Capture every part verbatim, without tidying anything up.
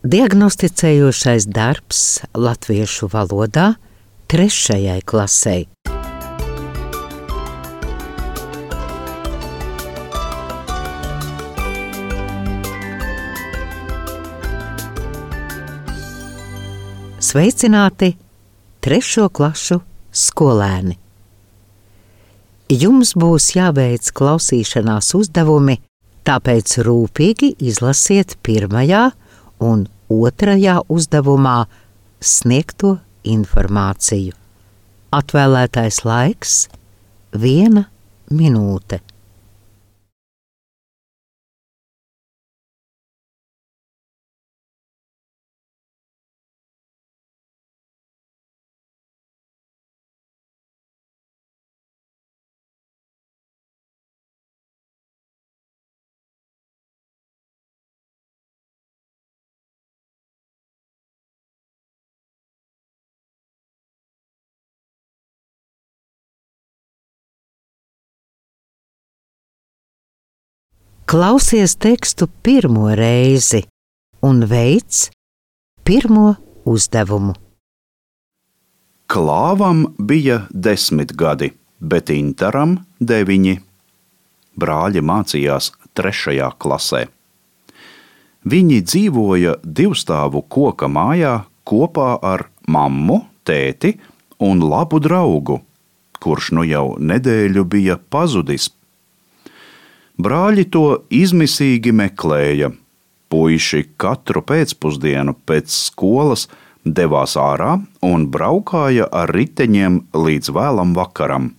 Diagnosticējošais darbs latviešu valodā trešajai klasei. Sveicināti trešo klašu skolēni! Jums būs jāveic klausīšanās uzdevumi, tāpēc rūpīgi izlasiet pirmajā un otrajā uzdevumā sniegto informāciju. Atvēlētais laiks – viena minūte. Klausies tekstu pirmo reizi un veic pirmo uzdevumu. Klāvam bija desmit gadi, bet Interam deviņi. Brāļi mācījās trešajā klasē. Viņi dzīvoja divstāvu koka mājā kopā ar mammu, tēti un labu draugu, kurš nu jau nedēļu bija pazudis. Brāļi to izmisīgi meklēja. Puiši katru pēcpusdienu pēc skolas devās ārā un braukāja ar riteņiem līdz vēlam vakaram.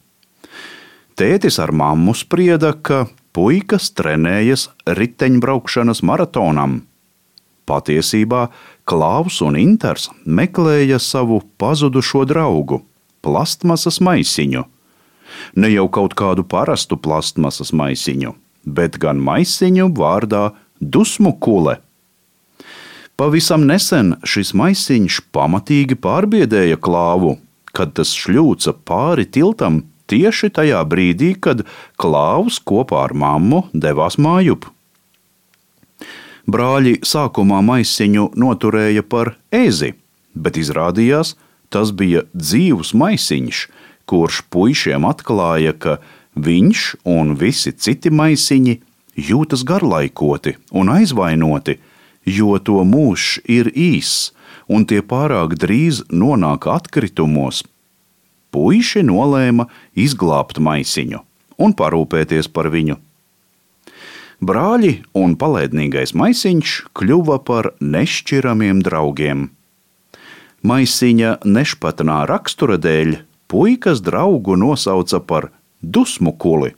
Tētis ar mammu sprieda, ka puikas trenējas riteņbraukšanas maratonam. Patiesībā Klaus un Inters meklēja savu pazudušo draugu, plastmasas maisiņu. Ne jau kaut kādu parastu plastmasas maisiņu, bet gan maisiņu vārdā Dusmu kule. Pavisam nesen šis maisiņš pamatīgi pārbiedēja Klāvu, kad tas šļūca pāri tiltam tieši tajā brīdī, kad Klaus kopā ar mammu devās mājup. Brāļi sākumā maisiņu noturēja par ezi, bet izrādījās, tas bija dzīvs maisiņš, kurš puišiem atklāja, ka viņš un visi citi maisiņi jūtas garlaikoti un aizvainoti, jo to mūžs ir īss un tie pārāk drīz nonāk atkritumos. Puiši nolēma izglābt maisiņu un parūpēties par viņu. Brāļi un palaidnīgais maisiņš kļuva par nešķiramiem draugiem. Maisiņa nešpatnā rakstura dēļ puikas draugu nosauca par Dusmu kuli.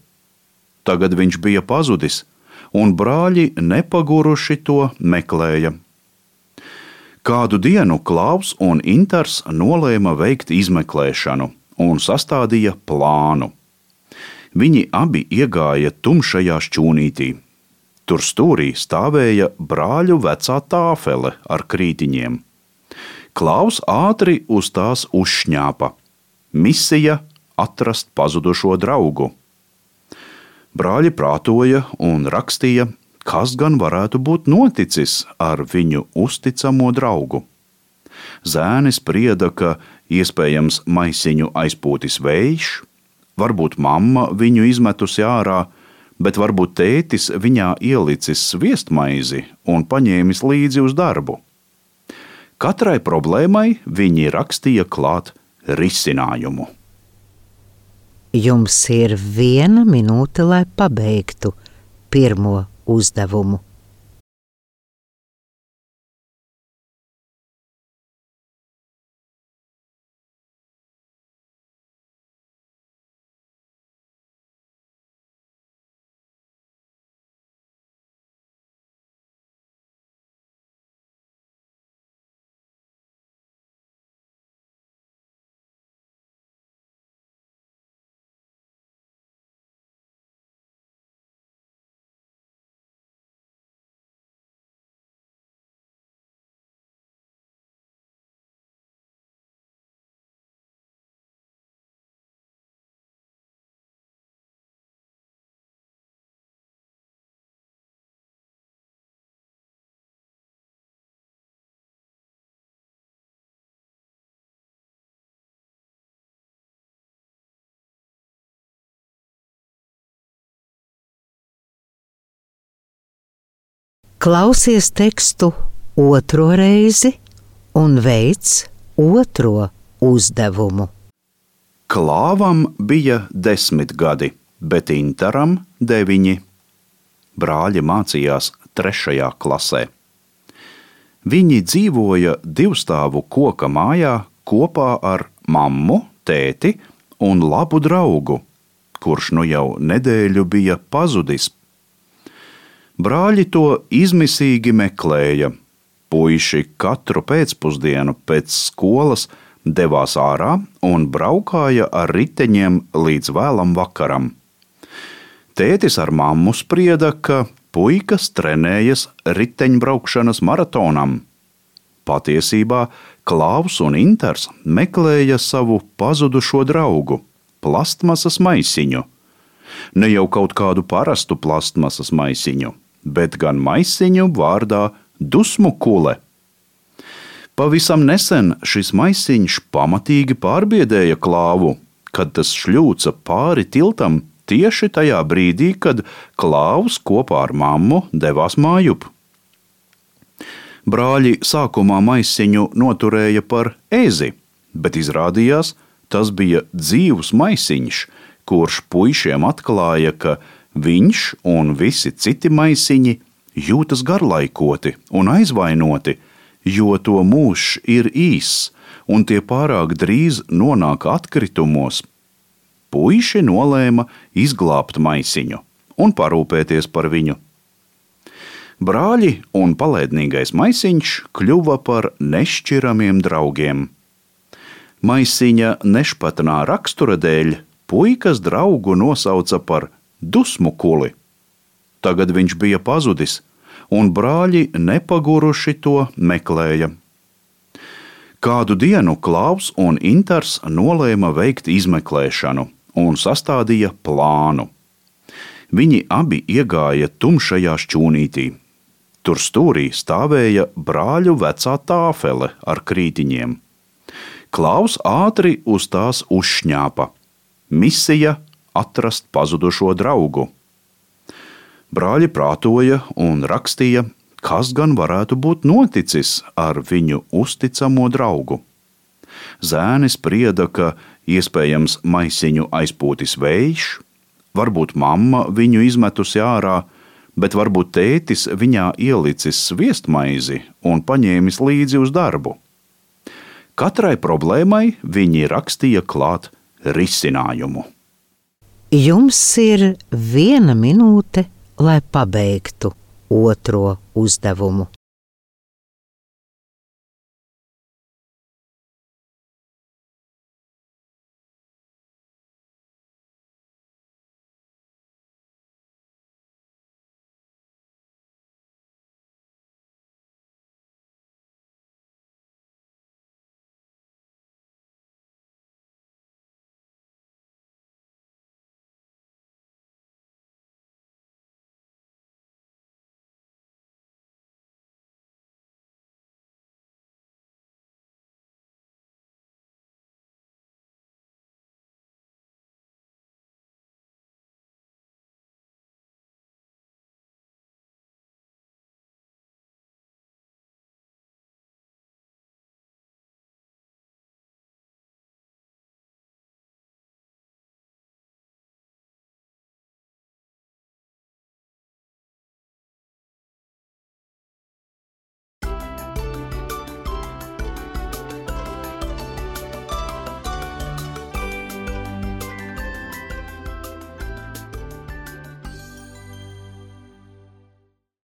Tagad viņš bija pazudis, un brāļi nepaguruši to meklēja. Kādu dienu Klaus un Inters nolēma veikt izmeklēšanu un sastādīja plānu. Viņi abi iegāja tumšajā šķūnītī. Tur stūrī stāvēja brāļu vecā tāfele ar krītiņiem. Klaus ātri uz tās uzšņāpa. Misija – atrast pazudušo draugu. Brāļi prātoja un rakstīja, kas gan varētu būt noticis ar viņu uzticamo draugu. Zēni sprieda, ka iespējams maisiņu aizpūtis vējš, varbūt mamma viņu izmetusi ārā, bet varbūt tētis viņā ielicis sviestmaizi un paņēmis līdzi uz darbu. Katrai problēmai viņi rakstīja klāt risinājumu. Jums ir viena minūte, lai pabeigtu pirmo uzdevumu. Klausies tekstu otro reizi un veic otro uzdevumu. Klāvam bija desmit gadi, bet Interam deviņi. Brāļi mācījās trešajā klasē. Viņi dzīvoja divstāvu koka mājā kopā ar mammu, tēti un labu draugu, kurš nu jau nedēļu bija pazudis. Brāļi to izmisīgi meklēja. Puiši katru pēcpusdienu pēc skolas devās ārā un braukāja ar riteņiem līdz vēlam vakaram. Tētis ar mammu sprieda, ka puikas trenējas riteņbraukšanas maratonam. Patiesībā Klaus un Inters meklēja savu pazudušo draugu, plastmasas maisiņu. Ne jau kaut kādu parastu plastmasas maisiņu, bet gan maisiņu vārdā Dusmu kule. Pavisam nesen šis maisiņš pamatīgi pārbiedēja Klāvu, kad tas šļūca pāri tiltam tieši tajā brīdī, kad Klaus kopā ar mammu devās mājup. Brāļi sākumā maisiņu noturēja par ezi, bet izrādījās, tas bija dzīvs maisiņš, kurš puišiem atklāja, ka viņš un visi citi maisiņi jūtas garlaikoti un aizvainoti, jo to mūžs ir īss un tie pārāk drīz nonāk atkritumos. Puiši nolēma izglābt maisiņu un parūpēties par viņu. Brāļi un palēdnīgais maisiņš kļuva par nešķiramiem draugiem. Maisiņa nešpatnā rakstura dēļ puikas draugu nosauca par Dusmu kuli. Tagad viņš bija pazudis, un brāļi nepaguruši to meklēja. Kādu dienu Klaus un Inters nolēma veikt izmeklēšanu un sastādīja plānu. Viņi abi iegāja tumšajā šķūnītī. Tur stūrī stāvēja brāļu vecā tāfele ar krītiņiem. Klaus ātri uz tās uzšņāpa. Misija atrast pazudušo draugu. Brāļi prātoja un rakstīja, kas gan varētu būt noticis ar viņu uzticamo draugu. Zēni sprieda, ka iespējams maisiņu aizpūtis vējš, varbūt mamma viņu izmetusi ārā, bet varbūt tētis viņā ielicis sviestmaizi un paņēmis līdzi uz darbu. Katrai problēmai viņi rakstīja klāt risinājumu. Jums ir viena minūte, lai pabeigtu otro uzdevumu.